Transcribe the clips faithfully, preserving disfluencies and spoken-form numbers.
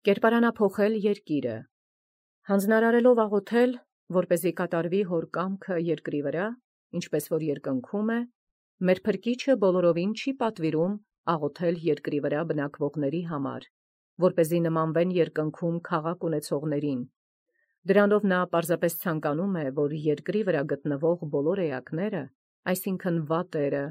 Կերպարանափոխել երկիրը, հանձնարարելով աղոթել, որպեսզի կատարվի հոր կամքը երկրի վրա, ինչպես որ երկնքում է, մեր Փրկիչը բոլորովին չի պատվիրում աղոթել երկրի վրա բնակվողների համար, որպեսզի նմանվեն երկնքում քաղաք ունեցողներին. դրանով նա պարզապես ցանկանում է, որ երկրի վրա գտնվող բոլոր էակները, այսինքն վատերը,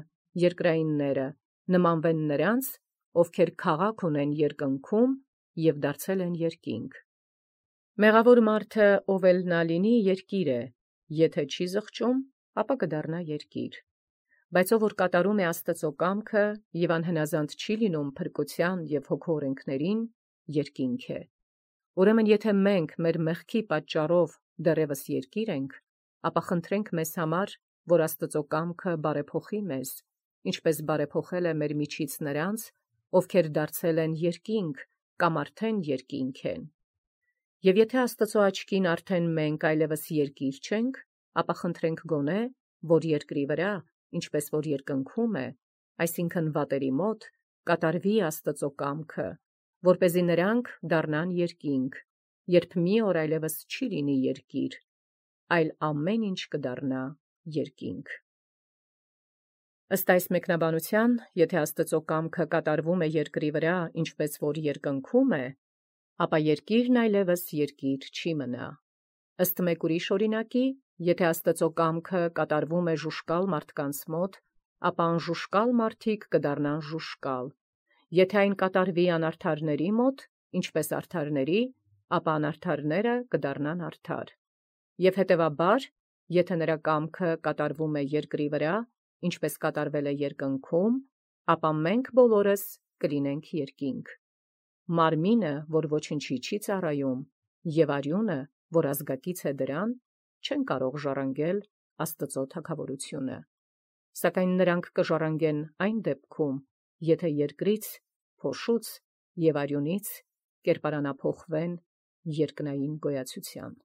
երկրայինները, նմանվեն նրանց, ովքեր քաղաք ունեն երկնքում և դարձել են երկինք։ Մեղավոր մարդը, ով էլ նա լինի, երկիր է, եթե չի զղջում, ապա կդառնա երկիր, բայց ով որ կատարում է Աստծո կամքը և անհնազանդ չի լինում փրկության և հոգու օրենքներին, երկինք է։ Ուրեմն եթե մենք մեր մեղքի պատճառով դեռևս երկիր ենք, ապա խնդրենք մեզ համար, որ Աստծո կամքը բարեփոխի մեզ, ինչպես բարեփոխել է մեր միջից նրանց, ովքեր դարձել են երկինք կամ արդեն երկինք են։ Եվ եթե Աստծո աչքին արդեն մենք այլևս երկիր չենք, ապա խնդրենք գոնե, որ երկրի վրա, ինչպես որ երկնքում է, այսինքն վատերի մոտ, կատարվի Աստծո կամքը, որպեսզի նրանք դառնան երկինք, երբ մի օր այլևս չի լինի երկիր, այլ ամեն ինչ կդառնա երկինք։ Ըստ այս մեկնաբանության, եթե Աստծո կամքը կատարվում է երկրի վրա, ինչպես որ երկնքում է, ապա երկիրն այլևս երկիր չի մնա։ Ըստ մեկ ուրիշ օրինակի, եթե Աստծո կամքը կատարվում է ժուշկալ մարդկանց մոտ, ապա անժուշկալ մարդիկ կդառնան ժուշկալ, եթե այն կատարվի անարդարների մոտ, ինչպես արդարների, ապա անարդարները կդառնան արդար։ Եվ հետևաբար, եթե նրա կամքը կատարվում է երկրի վրա, ինչպես կատարվել է երկնքում, ապա մենք բոլորս կլինենք երկինք։ Մարմինը, որ ոչնչի չի ծառայում, և արյունը, որ ազգակից է դրան, չեն կարող ժառանգել Աստծո թագավորությունը։ Սակայն նրանք կժառանգեն այն դեպքում, եթե երկրից, փոշուց և արյունից կերպարանափոխվեն երկնային գոյացության։